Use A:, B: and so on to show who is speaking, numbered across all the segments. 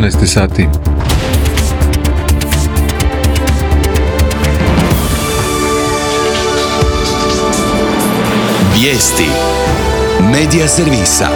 A: 14 sati.
B: Vijesti Medija servisa.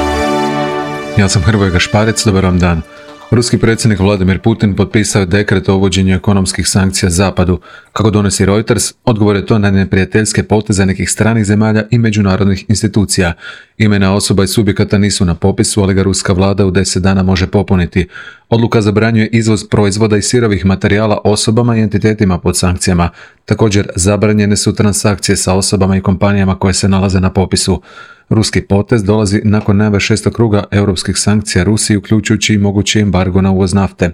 A: Ja sam Hrvoje Gašparec, dobar vam dan. Ruski predsjednik Vladimir Putin potpisao je dekret o uvođenju ekonomskih sankcija Zapadu. Kako donosi Reuters, odgovor je to na neprijateljske poteze nekih stranih zemalja i međunarodnih institucija. Imena osoba i subjekata nisu na popisu, ali ga ruska vlada u 10 dana može popuniti. Odluka zabranjuje izvoz proizvoda i sirovih materijala osobama i entitetima pod sankcijama. Također, zabranjene su transakcije sa osobama i kompanijama koje se nalaze na popisu. Ruski potez dolazi nakon najave 6. kruga europskih sankcija Rusiji, uključujući i mogući embargo na uvoz nafte.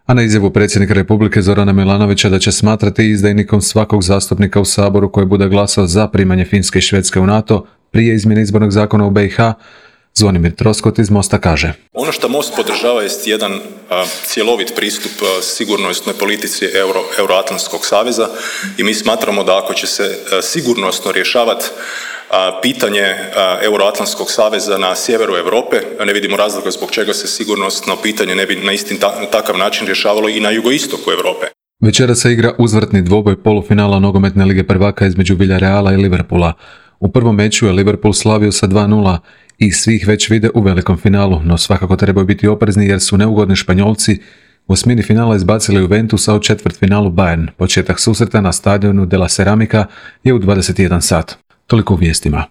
A: A na izjavu predsjednika Republike Zorana Milanovića da će smatrati izdajnikom svakog zastupnika u Saboru koji bude glasao za primanje Finske i Švedske u NATO prije izmjene izbornog zakona u BiH, Zvonimir Troskot iz Mosta kaže:
C: Ono što Most podržava jest jedan cjelovit pristup sigurnosnoj politici Euroatlantskog saveza i mi smatramo da ako će se sigurnosno rješavati pitanje Euroatlantskog saveza na sjeveru Europe, ne vidimo razloga zbog čega se sigurnosno pitanje ne bi na isti takav način rješavalo i na jugoistoku Europe.
A: Večera se igra uzvratni dvoboj polufinala nogometne lige prvaka između Villareala i Liverpoola. U prvom meču je Liverpool slavio sa 2:0 i svih već vide u velikom finalu, no svakako trebaju biti oprezni jer su neugodni Španjolci u osmini finala izbacili Juventus, a u četvrtfinalu Bayern. Početak susreta na stadionu de la Ceramica je u 21 sat. Toliko u vijestima.